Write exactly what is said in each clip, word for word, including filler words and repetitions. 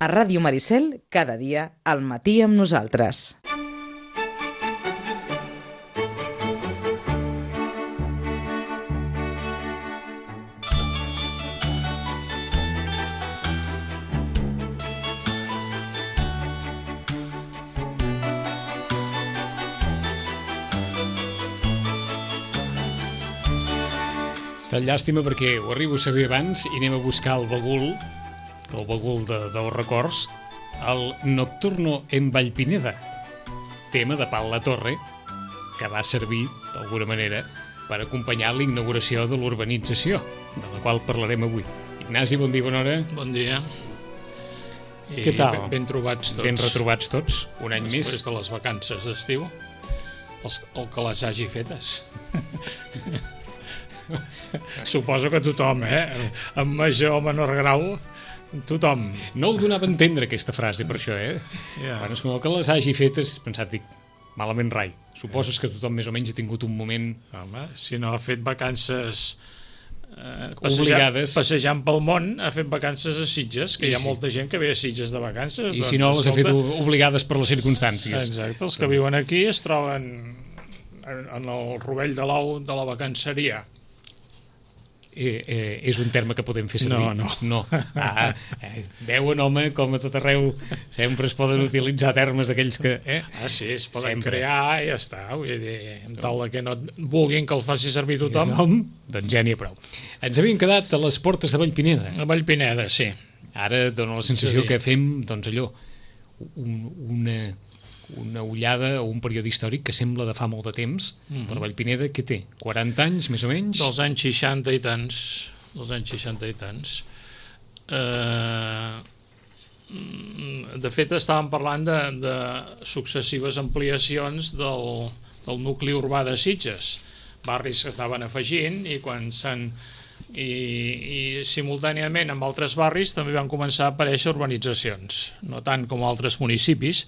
A Ràdio Maricel, cada dia, al matí amb nosaltres. Està llàstima perquè ho arribo a saber abans i anem a buscar el bagul, el bagul de, dels records, el Nocturno en Vallpineda, tema de Pal La Torre, que va servir, d'alguna manera, per acompanyar la inauguració de l'urbanització, de la qual parlarem avui. Ignasi, bon dia, bona hora. Bon dia. I Què tal? Ben, ben trobats tots. Ben retrobats tots, un any Després més. Després de les vacances d'estiu, els, el que les hagi fetes. Suposo que tothom, eh? En major o menor grau, tothom. No ho donava a entendre, aquesta frase, per això, eh? Yeah. Quan es coneix que les hagi fetes, pensat, dic, malament rai. Suposes que tothom més o menys ha tingut un moment... Home, si no ha fet vacances eh, obligades, passejant pel món, ha fet vacances a Sitges, que I hi ha sí. molta gent que ve a Sitges de vacances. I doncs, si no, les ha fet escolta, obligades per les circumstàncies. Exacte, els que viuen aquí es troben en, en el rovell de l'ou de la vacanceria. Eh, eh, és un terme que podem fer servir? No, no. no. Ah, eh, veuen, home, com a tot arreu sempre es poden utilitzar termes d'aquells que... Eh? Ah, sí, es poden Sempre. crear i ja està. Vull dir, en tal que no vulguin que el faci servir tothom. Nom, doncs ja n'hi ha prou. Ens havíem quedat a les portes de Vallpineda. A Vallpineda, sí. Ara dona la sensació Sí. que fem, doncs allò, un, una, una ullada o un període històric que sembla de fa molt de temps, Mhm. per Vallpineda, què té? quaranta anys, més o menys? Dels anys seixanta i tants. Dels anys seixanta i tants. Eh, de fet, estàvem parlant de, de successives ampliacions del, del nucli urbà de Sitges. Barris que estaven afegint i quan s'han... I, i simultàniament amb altres barris també van començar a aparèixer urbanitzacions, no tant com altres municipis,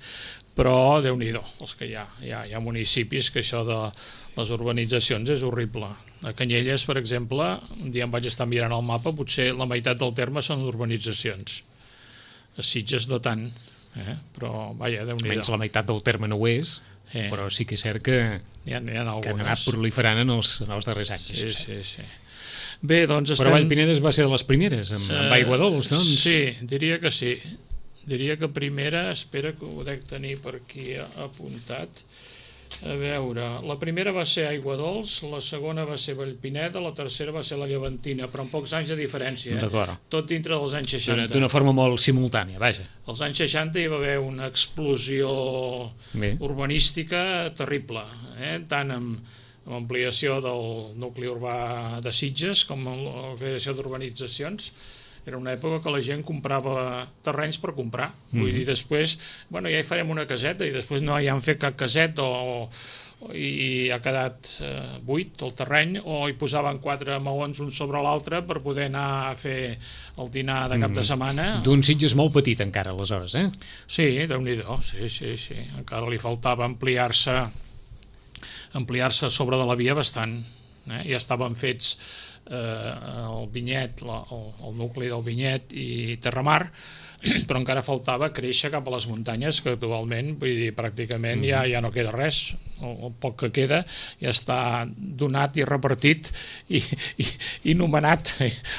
però Déu-n'hi-do, els que hi ha. Hi ha, hi ha municipis que això de les urbanitzacions és horrible. A Canyelles, per exemple, un dia em vaig estar mirant el mapa, potser la meitat del terme són urbanitzacions. A Sitges no tant, eh? Però vaja, Déu-n'hi-do. Menys la meitat del terme no ho és, Eh. però sí que és cert que, Hi ha, hi ha que han anat algunes. proliferant en els, en els darrers anys. Sí, això sí, sí. Bé, doncs estem... Però Vallpineda es va ser de les primeres, amb, amb Eh, aigua dolç, doncs? Sí, diria que sí. Diria que primera, espera que ho dec tenir per aquí apuntat. A veure, la primera va ser Aigua Dols, la segona va ser Vallpineda, la tercera va ser la Llevantina, però amb pocs anys de diferència. Eh? D'acord. Tot dintre dels anys D'una seixanta. d'una forma molt simultània, vaja. Als anys seixanta hi va haver una explosió Bé. urbanística terrible, eh? Tant amb, amb ampliació del nucli urbà de Sitges com amb la creació d'urbanitzacions. Era una època que la gent comprava terrenys per comprar. Mm. Vull dir, després, bueno, ja hi farem una caseta i després no hi han fet cap caseta o, o i ha quedat eh, buit el terreny o hi posaven quatre maons un sobre l'altre per poder anar a fer el dinar de cap de setmana. D'un Sitges molt petit encara, aleshores, eh? Sí, Déu-n'hi-do, sí, sí, sí. Encara li faltava ampliar-se ampliar-se sobre de la via bastant. Eh? Ja estaven fets eh, el Vinyet, la, el, el nucli del Vinyet i Terramar, però encara faltava créixer cap a les muntanyes, que actualment, vull dir, pràcticament ja, ja no queda res. El, el poc que queda ja està donat i repartit i, i, i nomenat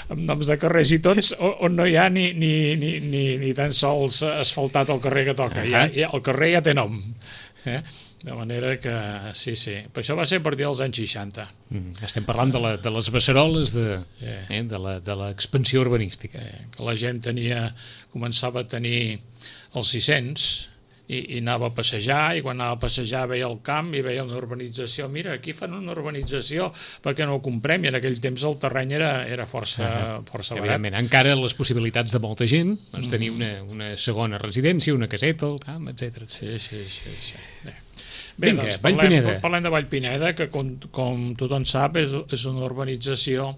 amb noms de carrers i tots, on no hi ha ni, ni, ni, ni, ni tan sols asfaltat el carrer que toca. Ja, ja, el carrer ja té nom. Eh? De manera que, sí, sí. Però això va ser a partir dels anys seixanta. Mm, estem parlant de, la, de les beceroles de, Eh. eh, de la- de l'expansió urbanística. Eh, que la gent tenia, començava a tenir els sis cents i, i anava a passejar, i quan anava a passejar veia el camp i veia una urbanització. Mira, aquí fan una urbanització, perquè no ho comprem? I en aquell temps el terreny era, era força, Ah, força barat. Evidentment, encara les possibilitats de molta gent, doncs tenir una, una segona residència, una caseta, el camp, etcètera. Sí, sí, sí. sí. Bé. Bé, Vinga, doncs parlem, Vallpineda. parlem de Vallpineda, que com, com tothom sap és, és una urbanització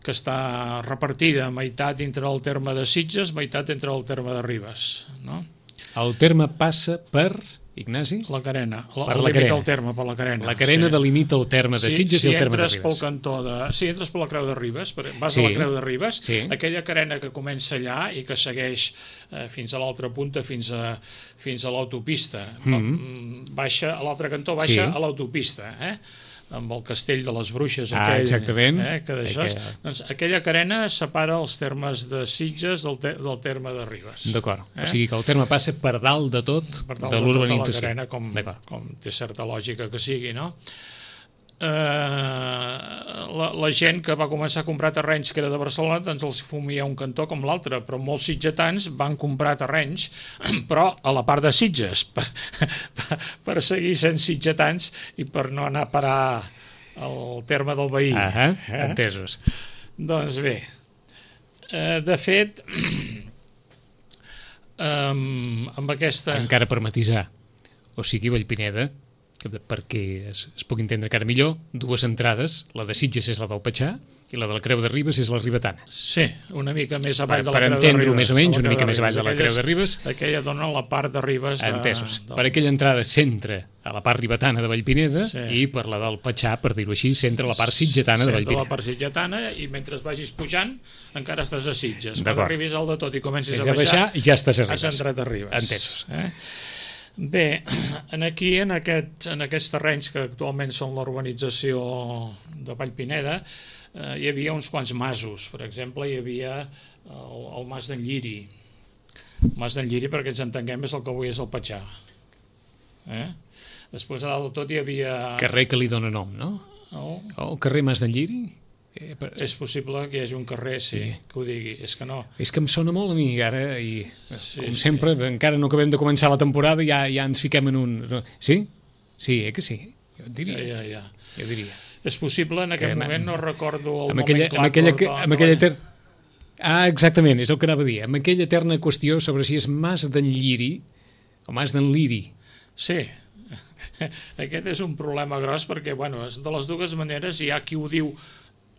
que està repartida meitat entre el terme de Sitges, meitat entre el terme de Ribes, no? El terme passa per Ignasi? La Carena. La, Per la limita Carena. el terme, per la Carena. La Carena sí. delimita el terme de Sitges si, i el terme de Si Ribes. entres pel cantó de... Si entres per la Creu de Ribes, per... vas Sí. a la Creu de Ribes, Sí. aquella carena que comença allà i que segueix eh, fins a l'altra punta, fins a, fins a l'autopista. Mm-hmm. Baixa, a l'altre cantó baixa Sí. a l'autopista, eh? Amb el castell de les Bruixes, Ah, aquell, exactament. Eh, que d'això, Aquella... doncs, aquella carena separa els termes de Sitges del, te, del terme de Ribes. D'acord, Eh? o sigui que el terme passa per dalt de tot Per tal de de tota la l'urbanització. carena, com, com té certa lògica que sigui, no? Eh, la, la gent que va començar a comprar terrenys que era de Barcelona, doncs els fumia un cantó com l'altre, però molts sitgetans van comprar terrenys, però a la part de Sitges, per, per, per seguir sent sitgetans i per no anar a parar al terme del veí. Ah, eh? entesos. Doncs bé, eh, de fet, um, amb aquesta... Encara per matisar, o sigui, Vallpineda, que perquè es, es pugui entendre encara millor, dues entrades, la de Sitges és la del Patxà i la de la Creu de Ribes és la ribetana. Sí, una mica més Per, avall de la per Creu de entendre-ho Ribes. més o menys, la una Creu mica de més avall de la Creu de Ribes. Aquella dona la part de Ribes. De, Entesos. del... Per aquella entrada centra a la part ribetana de Vallpineda Sí. i per la del Patxà, per dir-ho així, centra la part sitgetana de Centra Vallpineda. la part sitgetana i mentre vagis pujant encara estàs a Sitges. Quan D'acord. arribis al de tot i comencis Si a has de baixar, baixar, ja estàs a has Ribes. entrat a Ribes. Entesos. Eh? Bé, en aquí, en, aquest, en aquests terrenys que actualment són l'urbanització de Vallpineda, eh, hi havia uns quants masos. Per exemple, hi havia el, el mas d'en Lliri. El mas d'en Lliri, perquè ens entenguem, és el que avui és el Patxà. Eh? Després, a dalt de tot, hi havia... Carrer que li dona nom, no? Oh, O el carrer Mas d'en Lliri? Eh, per... és possible que hi hagi un carrer, sí, Sí. que ho digui. És que no. És que em sona molt a mi ara i, Sí, com sí. sempre, encara no acabem de començar la temporada i ja, ja ens fiquem en un... Sí? Sí, eh que sí? Jo et diria. Ja, ja, ja. Jo diria. És possible, en aquest Que, moment no recordo el amb aquella, moment amb aquella, de- amb aquella ter... Ah, exactament, és el que anava a dir. Amb aquella eterna qüestió sobre si és Mas d'en Lliri o Mas d'en Liri. Sí, aquest és un problema gros perquè, bueno, de les dues maneres hi ha qui ho diu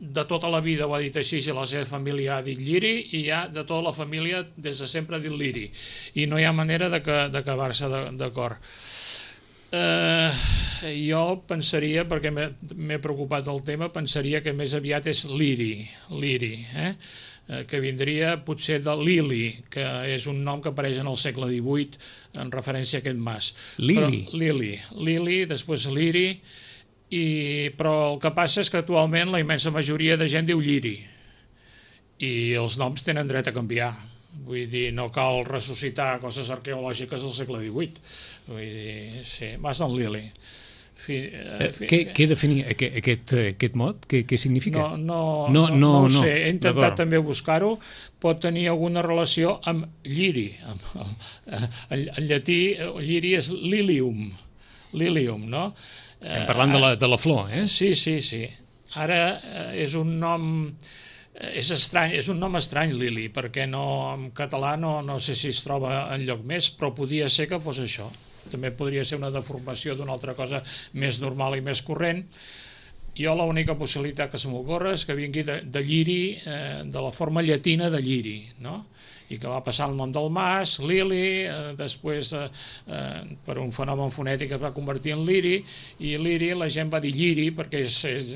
de tota la vida ho ha dit així i la seva família ha dit Lliri i hi ha de tota la família des de sempre ha dit Liri i no hi ha manera de que, d'acabar-se d'acord. Eh, jo pensaria, perquè m'he m'he preocupat del tema, pensaria que més aviat és Liri, Liri, eh? Eh, que vindria potser de Lili, que és un nom que apareix en el segle divuit en referència a aquest mas. Lili? Però, Lili, Lili, després Liri, i, però el que passa és que actualment la immensa majoria de gent diu Lliri, i els noms tenen dret a canviar. Vull dir, no cal ressuscitar coses arqueològiques del segle divuit. Vull dir, sí, Mas d'en Lili. Fi, Eh, fi, què, què definia aquest, aquest, aquest mot? Què, què significa? no, no, No, no, no, no, ho no. sé, he intentat D'acord. també buscar-ho, pot tenir alguna relació amb lliri. Amb, amb, en, en llatí, lliri és lilium, lilium, no? Estem parlant de la, de la flor, eh? Sí, sí, sí. Ara eh, és un nom... eh, És estrany, és un nom estrany, Lili, perquè no, en català no, no sé si es troba en lloc més, però podia ser que fos això. També podria ser una deformació d'una altra cosa més normal i més corrent. Jo l'única possibilitat que se m'ocorre és que vingui de, de lliri, eh, de la forma llatina de lliri, no? I que va passar el nom del mas, Lili, eh, després eh, eh, per un fenomen fonètic es va convertir en Liri, i Liri la gent va dir Lliri perquè és, és,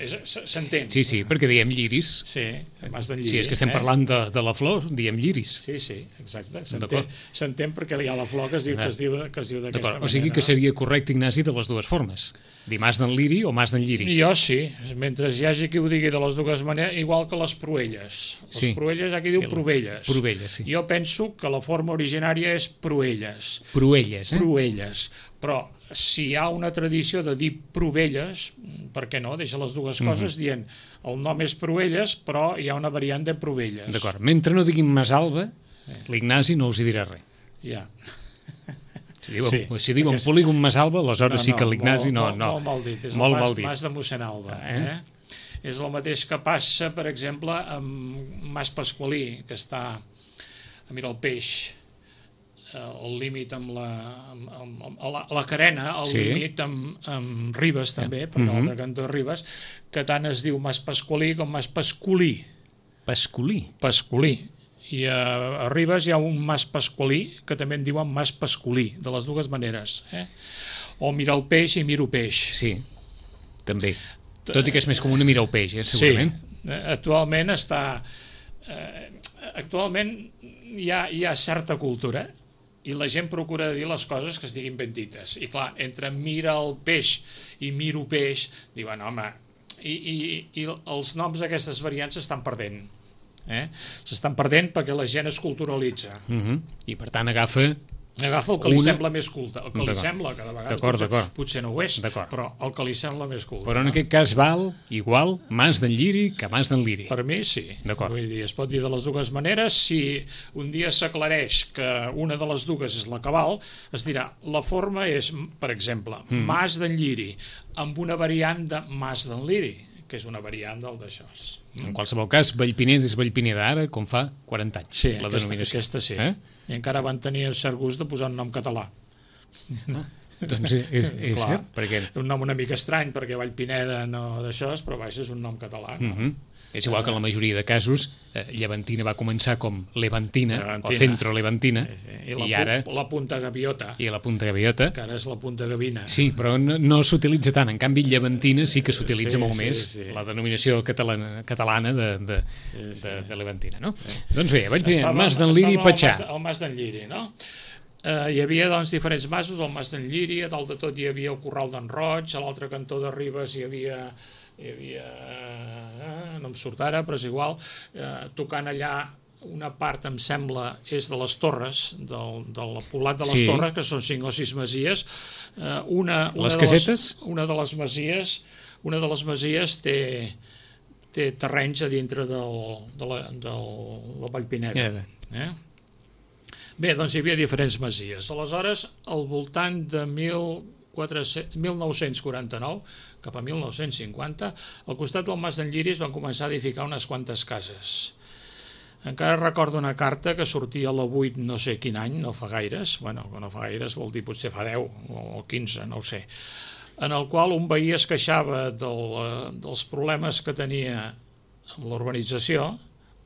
és, s'entén. Sí, sí, perquè diem lliris. Sí, mas d'en Lliri. Si és que estem eh? parlant de, de la flor, diem lliris. Sí, sí, exacte. S'entén, D'acord. s'entén perquè hi ha la flor que es diu, que es diu, que es diu d'aquesta D'acord, manera. o sigui que seria correcte, Ignasi, de les dues formes. Dir Mas d'en Liri o Mas d'en Lliri. Jo sí, mentre hi hagi qui ho digui de les dues maneres, igual que les Proelles. Les Sí. Proelles hi ha qui diu El- Provelles. Provelles, sí. Jo penso que la forma originària és Proelles. Proelles, eh? Proelles. Però si hi ha una tradició de dir Provelles, per què no? Deixa les dues coses dient el nom és Proelles, però hi ha una variant de Provelles. D'acord, mentre no diguin Masalba, l'Ignasi no us hi dirà res. Ja. Si diuen, Sí, si diuen perquè- polígon Masalba, aleshores sí que l'Ignasi no, molt, no. Molt mal dit. És Molt el mal mas, dit. mas de mossèn Alba. Eh? Eh? És el mateix que passa, per exemple, amb Mas Pasqualí, que està a Miralpeix, el límit amb la, amb, amb, amb la, la Carena, el Sí. límit amb, amb Ribes també, perquè Mhm. l'altre cantó és Ribes, que tant es diu Mas Pasqualí com Mas Pascolí. Pascolí. Pascolí. I a, a Ribes hi ha un mas pasqualí, que també en diuen mas pascolí, de les dues maneres. Eh? O mira el peix i miro peix. Sí, també. Tot i que és més comú mirar el peix, eh, segurament. Sí, actualment està... Eh, actualment hi ha, hi ha certa cultura i la gent procura dir les coses que estiguin ben dites. I clar, entre mira el peix i miro peix, diuen, home, i, i, i els noms d'aquestes variants s'estan perdent. Eh? S'estan perdent perquè la gent es culturalitza. Uh-huh. I per tant agafa... Agafa el que li una... sembla més culte. El que li sembla, que de vegades potser, potser no ho és, però el que li sembla més culte. Però en no? aquest cas val igual Mas d'en Lliri que Mas d'en Liri. Per mi sí. Vull dir, es pot dir de les dues maneres. Si un dia s'aclareix que una de les dues és la cabal, es dirà, la forma és, per exemple, mm. Mas d'en Lliri, amb una variant de Mas d'en Liri, que és una variant del d'això. En qualsevol cas, Vallpineda és Vallpineda ara, com fa quaranta anys. Sí, la aquesta, denominació. aquesta sí. Eh? I encara van tenir el cert gust de posar un nom català. Ah, doncs és, és Clar, cert, perquè... un nom una mica estrany, perquè Vallpineda no d'això, però vaja, és un nom català. No? Uh-huh. És igual que en la majoria de casos, eh, Llevantina va començar com Levantina, Levantina. o Centro Levantina, sí, sí. I, la, i ara... la Punta Gaviota. I la Punta Gaviota. Que ara és la Punta Gavina. Sí, però no, no s'utilitza tant. En canvi, Llevantina sí que s'utilitza sí, molt sí, més, sí. la denominació catalana, catalana de, de, sí, sí. de, de Levantina, no? Sí. Doncs bé, vaig dir, Mas d'en Liri i Patxà. El Mas d'en Lliri, no? Eh, hi havia doncs diferents masos, el Mas d'en Lliri, a dalt de tot hi havia el Corral d'en Roig, a l'altre cantó de Ribes hi havia... hi havia, eh, no em surt ara, però és igual, eh, tocant allà una part, em sembla, és de les Torres, del, del poblat de les sí. Torres, que són cinc o sis masies. Eh, una, una les de casetes? Les, una de les masies, una de les masies té, té terrenys a dintre del, de la, del, del Vallpineda. Yeah. Eh? Bé, doncs hi havia diferents masies. Aleshores, al voltant de mil nou-cents quaranta-nou, cap a mil nou-cents cinquanta, al costat del Mas d'en Lliri es van començar a edificar unes quantes cases. Encara recordo una carta que sortia a la vuit no sé quin any, no fa gaires, bueno, no fa gaires vol dir potser fa deu o quinze, no ho sé, en el qual un veí es queixava del, dels problemes que tenia amb l'urbanització,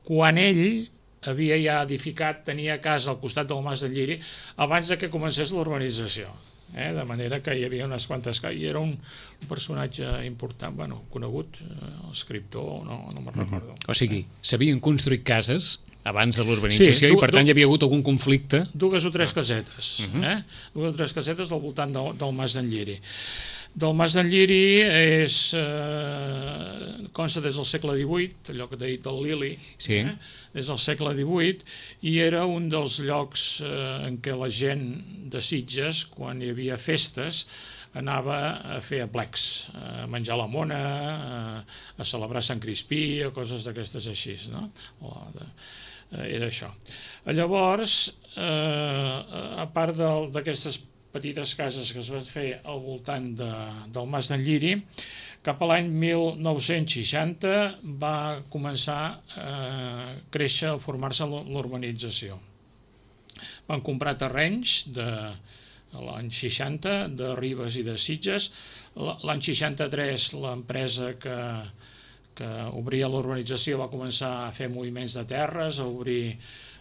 quan ell havia ja edificat, tenia casa al costat del Mas d'en Lliri, abans de que comencés l'urbanització. Eh? De manera que hi havia unes quantes cases, i era un, un personatge important, bueno, conegut, eh, escriptor, no, no me'n recordo. Mm-hmm. O sigui, s'havien construït cases abans de l'urbanització, sí, i per tant hi havia hagut algun conflicte. Dues o tres casetes, mm-hmm. eh? dues o tres casetes al voltant del, del Mas d'en Lliri. Del Mas d'en Lliri és, eh, consta des del segle divuit, allò que t'he dit del Lili, sí. eh? des del segle divuit, i era un dels llocs eh, en què la gent de Sitges, quan hi havia festes, anava a fer aplecs, a menjar la mona, a, a celebrar Sant Crispí, o coses d'aquestes així, no? O de, eh, era això. Llavors, eh, a part d'aquestes petites cases que es van fer al voltant de, del Mas d'en Lliri, cap a l'any mil nou-cents seixanta va començar a créixer, a formar-se l'urbanització. Van comprar terrenys de l'any seixanta, de Ribes i de Sitges. L'any seixanta-tres l'empresa que, que obria l'urbanització va començar a fer moviments de terres, a obrir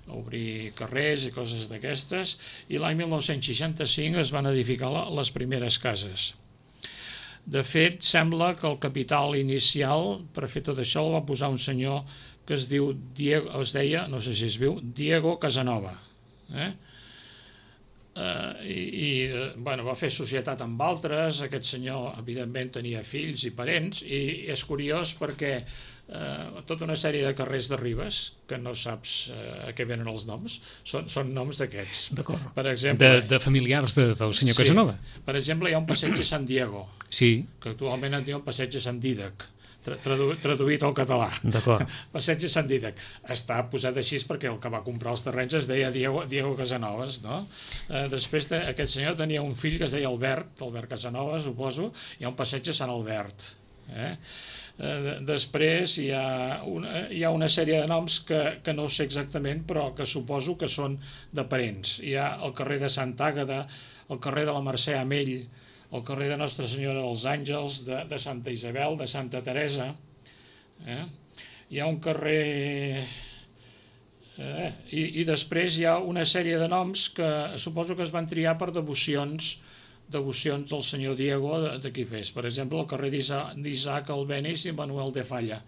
a obrir carrers i coses d'aquestes, i l'any mil nou-cents seixanta-cinc es van edificar les primeres cases. De fet, sembla que el capital inicial per fer tot això el va posar un senyor que es diu Diego, es deia, no sé si es viu, Diego Casanova. Eh? Uh, i, i bueno, va fer societat amb altres, aquest senyor evidentment tenia fills i parents, i és curiós perquè Uh, tota una sèrie de carrers de Ribes que no saps uh, a què venen els noms, són, són noms d'aquests. D'acord. Per exemple, de, de familiars de, del senyor sí, Casanova. Per exemple, hi ha un passeig de San Diego, sí. que actualment en diuen passeig de Sant Dídac, tradu traduït al català. D'acord. Passeig de Sant Dídac. Està posat així perquè el que va comprar els terrenys es deia Diego, Diego Casanovas, no? Uh, després de, aquest senyor tenia un fill que es deia Albert, Albert Casanova, suposo, hi ha un passeig de Sant Albert. Eh? Uh, després hi ha, una, hi ha una sèrie de noms que, que no sé exactament, però que suposo que són de parents. Hi ha el carrer de Sant Àgata, el carrer de la Mercè Amell, el carrer de Nostra Senyora dels Àngels, de, de Santa Isabel, de Santa Teresa. Eh? Hi ha un carrer Eh? I, I després hi ha una sèrie de noms que suposo que es van triar per devocions devocions del senyor Diego de, de qui fes. Per exemple, el carrer d'Isaac Albéniz i Manuel de Falla.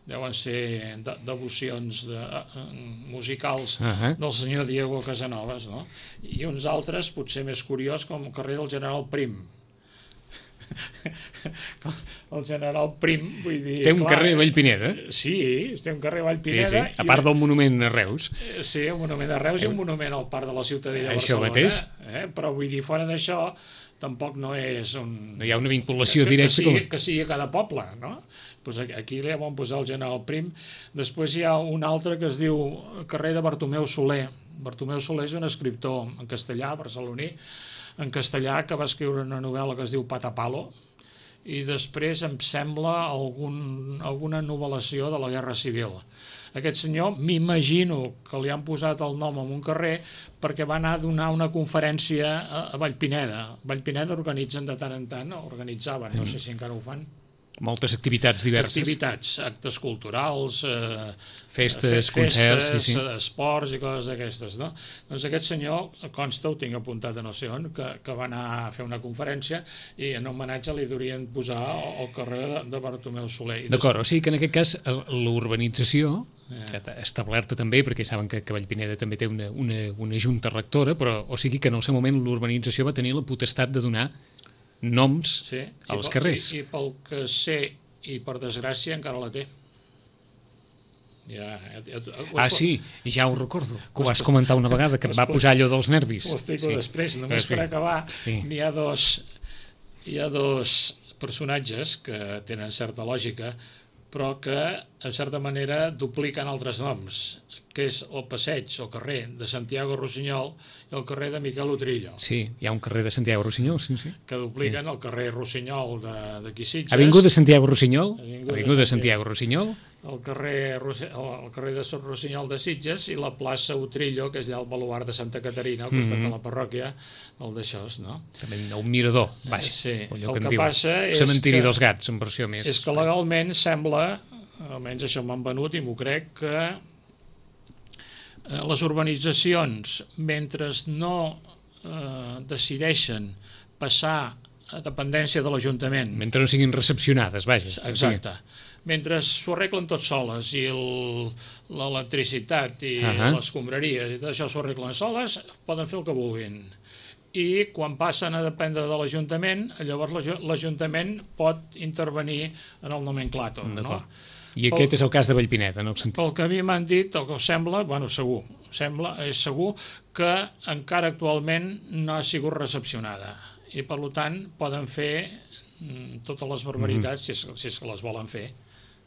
Deuen ser de, devocions de, uh, musicals uh -huh. del senyor Diego Casanovas, no? I uns altres, potser més curiós, com el carrer del General Prim. El General Prim, vull dir... Té un clar, carrer a Vallpineda? Sí, té un carrer a Vallpineda. Sí, sí. A part del monument a Reus. Sí, un monument a Reus i un monument al Parc de la Ciutadella de Barcelona. Això mateix. Eh? Però vull dir, fora d'això, tampoc no és un... No hi ha una vinculació que, directa. Que sigui, com... que sigui a cada poble, no? Pues aquí li vam posar el General Prim. Després hi ha un altre que es diu carrer de Bartomeu Soler. Bartomeu Soler és un escriptor en castellà, barceloní, en castellà, que va escriure una novel·la que es diu Patapalo, i després em sembla algun, alguna novel·lació de la Guerra Civil. Aquest senyor, m'imagino que li han posat el nom en un carrer perquè va anar a donar una conferència a, a Vallpineda. Vallpineda organitzen de tant en tant, organitzaven, no sé si encara ho fan. Moltes activitats diverses. Activitats, actes culturals, eh, festes, festes, concerts, sí, sí. esports i coses d'aquestes, no? Doncs aquest senyor, consta, ho tinc apuntat a no sé on, que, que va anar a fer una conferència i en homenatge li durien posar el carrer de, de Bartomeu Soler. D'acord, o sigui que en aquest cas l'urbanització, que establerta també, perquè saben que, que Vallpineda també té una, una, una junta rectora, però o sigui que en el seu moment l'urbanització va tenir la potestat de donar noms sí, als carrers. I, I pel que sé, i per desgràcia, encara la té. Ja, ja, ja, ah, sí, ja ho recordo, que ho vas comentar una vegada, que em va posar allò dels nervis. Ho explico sí. després, només per acabar, sí. N'hi ha dos, hi ha dos personatges que tenen certa lògica, però que, en certa manera, dupliquen altres noms, que és el passeig, el carrer de Santiago Rossinyol i el carrer de Miquel Utrillo. Sí, hi ha un carrer de Santiago Rossinyol, sí, sí. Que dupliquen sí. El carrer Rossinyol d'aquí Sitges. Avinguda Santiago Rossinyol, Avinguda, Avinguda de Santiago Rossinyol. El carrer, el carrer de Rossinyol de Sitges i la plaça Utrillo, que és allà el baluart de Santa Caterina, al costat mm -hmm. de la parròquia, el d'això, no? També un mirador, vaja. Sí, allò el que, que passa és cementiri que, dels gats, en versió més. És que legalment sembla, almenys això m'han venut i m'ho crec, que les urbanitzacions, mentre no eh, decideixen passar a dependència de l'Ajuntament... Mentre no siguin recepcionades, vaja. Exacte. Mentre s'ho arreglen tot soles i l'electricitat i uh -huh. les escombraries i tot això s'ho arreglen soles, poden fer el que vulguin. I quan passen a dependre de l'Ajuntament, llavors l'Ajuntament pot intervenir en el nomenclàtor, no? I aquest és el cas de Vallpineda, no? Pel que a mi m'han dit, el que sembla, bueno, segur, sembla, és segur que encara actualment no ha sigut recepcionada i per tant poden fer totes les barbaritats, mm. si, és, si és que les volen fer,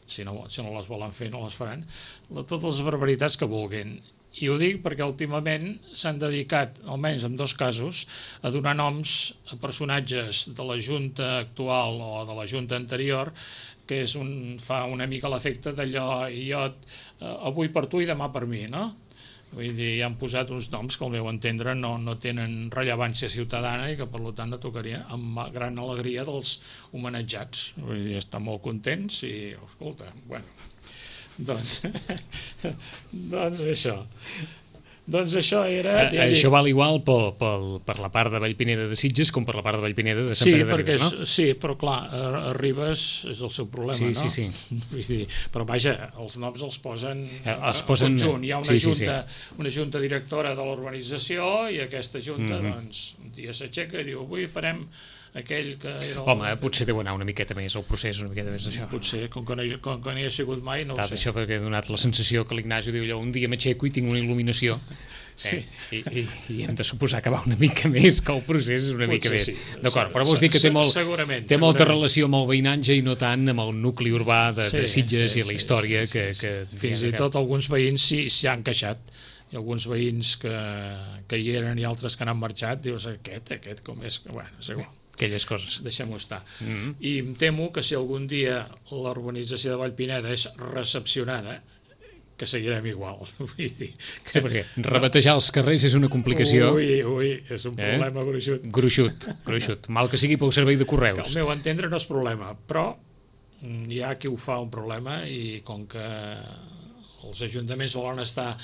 si no, si no les volen fer no les faran, totes les barbaritats que vulguin. I ho dic perquè últimament s'han dedicat, almenys en dos casos, a donar noms a personatges de la Junta actual o de la Junta anterior, que és un, fa una mica l'efecte d'allò, jo eh, avui per tu i demà per mi, no? Vull dir, hi han posat uns noms que al meu entendre no, no tenen rellevància ciutadana i que per tant no tocaria amb gran alegria dels homenatjats. Vull dir, estan molt contents i, escolta, bueno, doncs, doncs això. Doncs això era... A, això val igual per, per, per la part de Vallpineda de Sitges com per la part de Vallpineda de Sant sí, Pere de Ribes, és, no? Sí, però clar, a, a Ribes és el seu problema, sí, no? Sí, sí, Vull dir, però vaja, els noms els posen els posen conjunt. Hi ha una, sí, junta, sí, sí. una junta directora de l'urbanització i aquesta junta, mm-hmm. doncs, un dia s'aixeca i diu, avui farem aquell que era... Home, potser deu anar una miqueta més el procés, una miqueta més d'això. Potser, com que no hi, com que no hi ha sigut mai, no ho sé. Això perquè ha donat la sensació que l'Ignasi diu allò, un dia m'aixeco i tinc una il·luminació. Sí. Eh? I, i, I hem de suposar que va una mica més, que el procés és una potser mica més. Sí. D'acord, però vols dir que té, molt, segurament, té segurament. molta relació amb el veïnatge i no tant amb el nucli urbà de, sí, de Sitges sí, i la història sí, sí, que, sí. que... Fins i tot alguns veïns s'hi sí, han queixat. Hi ha alguns veïns que, que hi eren i altres que n'han marxat, dius, aquest, aquest, com és... Bueno, és igual. Aquelles coses. Deixem-ho estar. Mm-hmm. I em temo que si algun dia l'urbanització de Vallpineda és recepcionada, que seguirem igual. Vull dir que... Sí, perquè rebatejar els carrers és una complicació... Ui, ui, és un problema eh? gruixut. Gruixut, gruixut. Mal que sigui pel servei de correus. Que al meu entendre no és problema, però hi ha qui ho fa un problema i com que els ajuntaments volen estar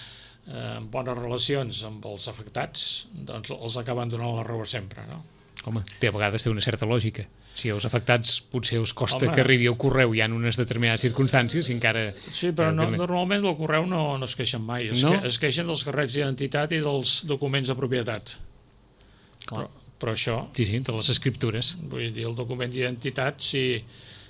eh, bones relacions amb els afectats, doncs els acaben donant la raó sempre, no? Home, té, a vegades té una certa lògica. Si els afectats potser us costa Home. que arribi el correu i hi ha unes determinades circumstàncies i encara... Sí, però no, normalment el correu no, no es queixen mai, es, No? que, es queixen dels carrets d'identitat i dels documents de propietat. Però, però això, Sí, sí, de les escriptures. vull dir, el document d'identitat, si,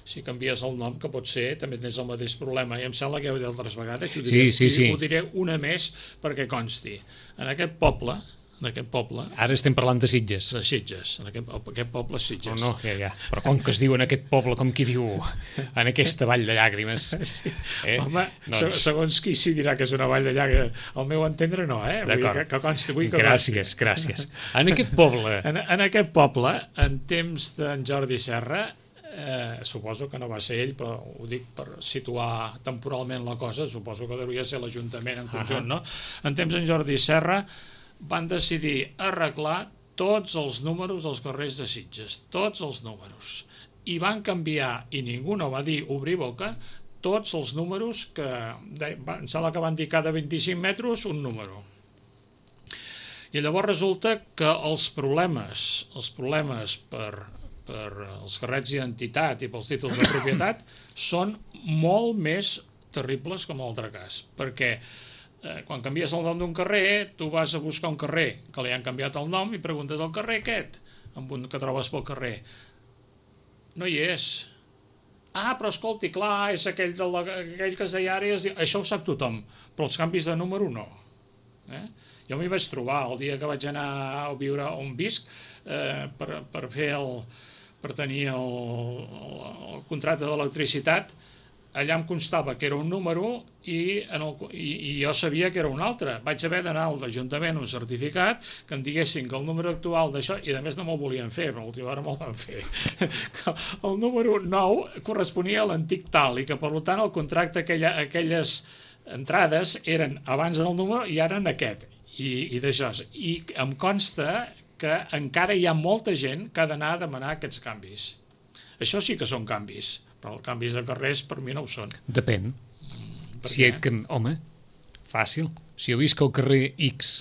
si canvies el nom, que pot ser, també tens el mateix problema, i em sembla que ja ho he dit altres vegades, ho diré, Sí, sí, sí. ho diré una més perquè consti. En aquest poble, en aquest poble, Ara estem parlant de Sitges. de Sitges, en aquest, aquest poble és No, Sitges. no, ja, ja. Però com que es diu en aquest poble, com qui diu en aquesta vall de llàgrimes? Sí. Eh? Home, Doncs- segons qui s'hi dirà que és una vall de llaga, al meu entendre no, eh? Vull dir D'acord. que, que consti, vull que Gràcies, gràcies. En aquest poble... En, en aquest poble, en temps d'en Jordi Serra, eh, suposo que no va ser ell, però ho dic per situar temporalment la cosa, suposo que devia ser l'Ajuntament en conjunt, no? En temps d'en Jordi Serra van decidir arreglar tots els números dels carrers de Sitges, tots els números. I van canviar, i ningú no va dir obrir boca, tots els números que, de, em sembla que van dir cada vint-i-cinc metres un número. I llavors resulta que els problemes, els problemes per, per els carrets d'identitat i pels títols de propietat són molt més terribles que en l'altre cas, perquè eh, quan canvies el nom d'un carrer, tu vas a buscar un carrer que li han canviat el nom i preguntes al carrer aquest, amb un que trobes pel carrer. No hi és. Ah, però escolti, clar, és aquell, de la, aquell que es deia ara, es, això ho sap tothom, però els canvis de número no. Eh? Jo m'hi vaig trobar el dia que vaig anar a viure on visc eh, per, per fer el, per tenir el, el, el contracte d'electricitat. Allà em constava que era un número i, en el, i, i jo sabia que era un altre. Vaig haver d'anar al Ajuntament un certificat que em diguessin que el número actual d'això, i a més no me'l volien fer, però a l'última hora me'l van fer, que el número nou corresponia a l'antic tal i que per tant el contracte, aquella, aquelles entrades eren abans del número i ara en aquest. I, i d'això. I em consta que encara hi ha molta gent que ha d'anar a demanar aquests canvis. Això sí que són canvis, però els canvis de carrers per mi no ho són. Depèn. Per Si què? et, can- home, fàcil. Si jo visc al carrer X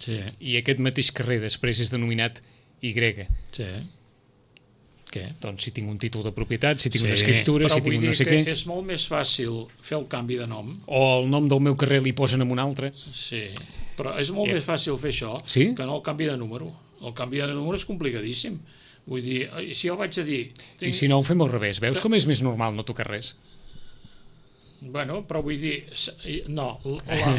Sí, i aquest mateix carrer després és denominat Y, sí. Què? doncs si tinc un títol de propietat, si tinc Sí, una escriptura, però si tinc vull un no dir sé que què, és molt més fàcil fer el canvi de nom. o el nom del meu carrer li posen en un altre, Sí, però és molt Eh. més fàcil fer això Sí? que no el canvi de número. El canvi de número és complicadíssim. Vull dir, eh, si jo vaig a dir... i si no ho fem al revés, veus com és més normal no tocar res? Bueno, però vull dir, s- i- no, la,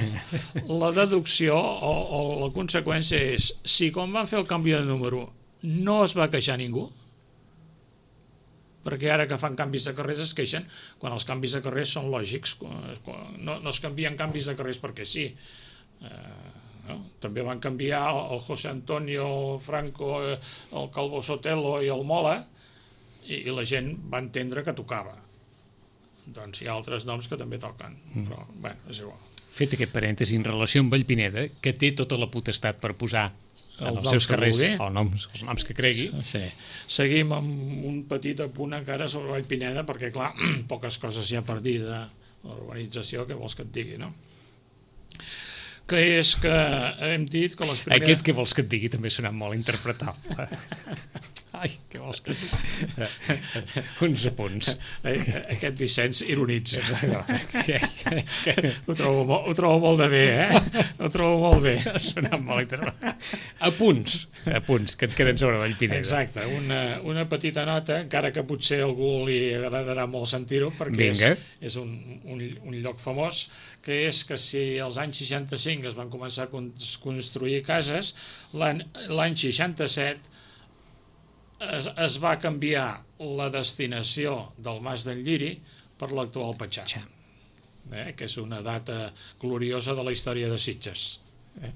la deducció o, o la conseqüència és, si quan van fer el canvi de número no es va queixar ningú, perquè ara que fan canvis de carrers es queixen, quan els canvis de carrers són lògics, quan- quan- no, no es canvien canvis de carrers perquè sí. Eh, no? També van canviar el José Antonio Franco, eh, el Calvo Sotelo i el Mola, i, i la gent va entendre que tocava. Doncs hi ha altres noms que també toquen, però, bueno, és igual. Fet aquest parèntesi en relació amb Vallpineda, que té tota la potestat per posar en Els els noms seus que carrers vulgui. els noms, els noms que cregui. Sí. Seguim amb un petit apunt encara sobre Vallpineda, perquè, clar, poques coses hi ha per dir de l'urbanització, que vols que et digui, no? Que és que hem dit que les primeres... Aquest que vols que et digui també ha sonat molt interpretable. Ai, què vols que et digui? Uns apunts. Eh, Aquest Vicenç ironitza. Que- que- que- Ho trobo, mo- ho trobo molt de bé, eh? Ho trobo molt bé. Ha sonat molt interpretable. Apunts, apunts, que ens queden sobre Vallpineda. Exacte, una, una petita nota, encara que potser a algú li agradarà molt sentir-ho, perquè és, Vinga. és un, un, un lloc famós, que és que si als anys seixanta-cinc es van començar a con- construir cases, l'any l'any seixanta-set es, es va canviar la destinació del Mas d'en Lliri per l'actual Patxà, Txa. eh, que és una data gloriosa de la història de Sitges. Eh?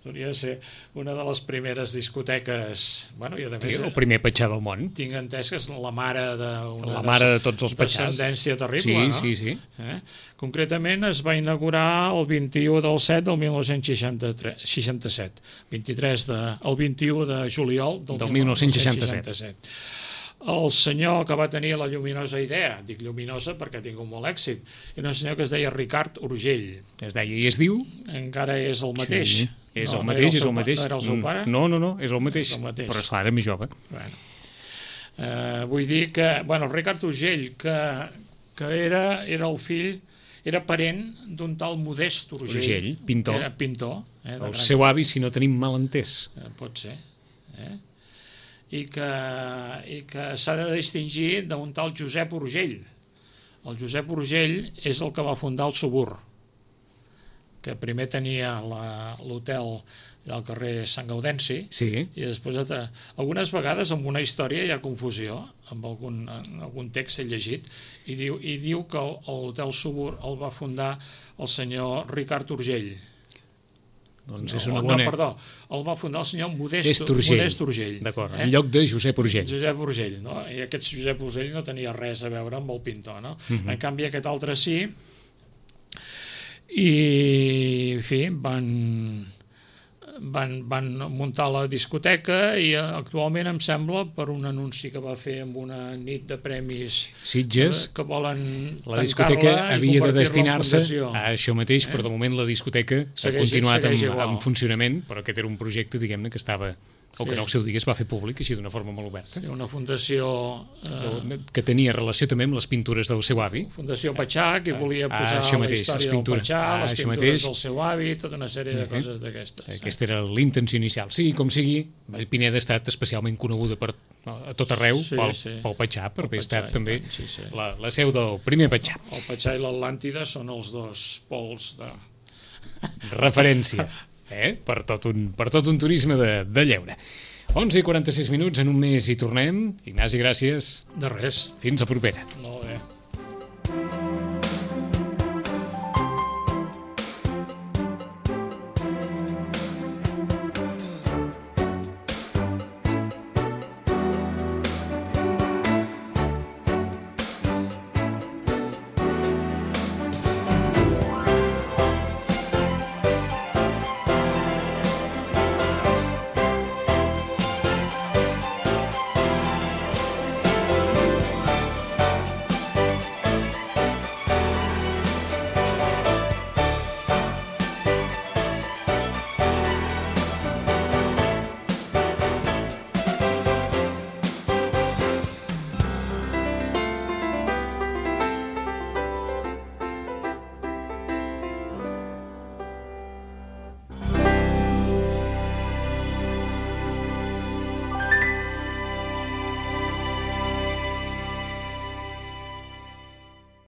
Hauria de ser una de les primeres discoteques, bueno, i a Sí, més el primer patxà del món. tinc entès que és la mare d'una La mare de tots els patxars. descendència terrible, Sí, no? sí, sí. Eh? Concretament es va inaugurar el vint-i-u del set del mil nou-cents seixanta-set, vint-i-tres de, el vint-i-u de juliol del, Del mil nou-cents seixanta-set. el senyor que va tenir la lluminosa idea, dic lluminosa perquè ha tingut molt èxit, era un senyor que es deia Ricard Urgell. Es deia i es diu... Encara és el mateix. Sí, és no, el no mateix, el és seu, el mateix. No era el seu pare? No, no, no, és el mateix, És el mateix. però esclar, era més jove. Bueno. Eh, vull dir que, bueno, el Ricard Urgell, que, que era, era el fill, era parent d'un tal Modest Urgell. Urgell, pintor. Era pintor. Eh, El seu avi, si no tenim mal entès. Eh, pot ser. Eh? I que, i que s'ha de distingir d'un tal Josep Urgell. El Josep Urgell és el que va fundar el Subur, que primer tenia l'hotel al carrer Sant Gaudenci, Sí. i després algunes vegades amb una història hi ha confusió, amb algun, en algun text he llegit, i diu, i diu que l'hotel Subur el va fundar el senyor Ricard Urgell. Doncs No, és una no, bona... perdó, el va fundar el senyor Modest, Modest Urgell. Modest Urgell. D'acord, eh? en lloc de Josep Urgell. Josep Urgell, no? I aquest Josep Urgell no tenia res a veure amb el pintor, no? Uh -huh. En canvi aquest altre sí, i en fi, van, van, van muntar la discoteca i actualment em sembla, per un anunci que va fer amb una nit de premis Sitges, que volen la discoteca havia de destinar-se a això mateix, Eh? però de moment la discoteca ha Segueix- continuat segueix en, igual. en funcionament, però aquest era un projecte, diguem-ne, que estava, o que Sí. en el seu dia es va fer públic, així d'una forma molt oberta, Sí, una fundació eh, que tenia relació també amb les pintures del seu avi. Fundació Patxà, que volia Ah, posar això la mateix, història les del pintures. Patxà, Ah, les això pintures mateix. del seu avi, tota una sèrie de Uh-huh. coses d'aquestes. Aquesta era la intenció inicial. Sigui com sigui, Vallpineda ha estat especialment coneguda per, a tot arreu Sí, pel, sí. pel Patxà, per haver Patxà, estat i també tant, sí, sí. la, la seu del primer Patxà. El Patxà i l'Atlàntida són els dos pols de... Referència, eh? per, tot un, per tot un turisme de, de lleure. onze i quaranta-sis minuts, en un mes hi tornem. Ignasi, gràcies. De res. Fins a propera. Molt bé.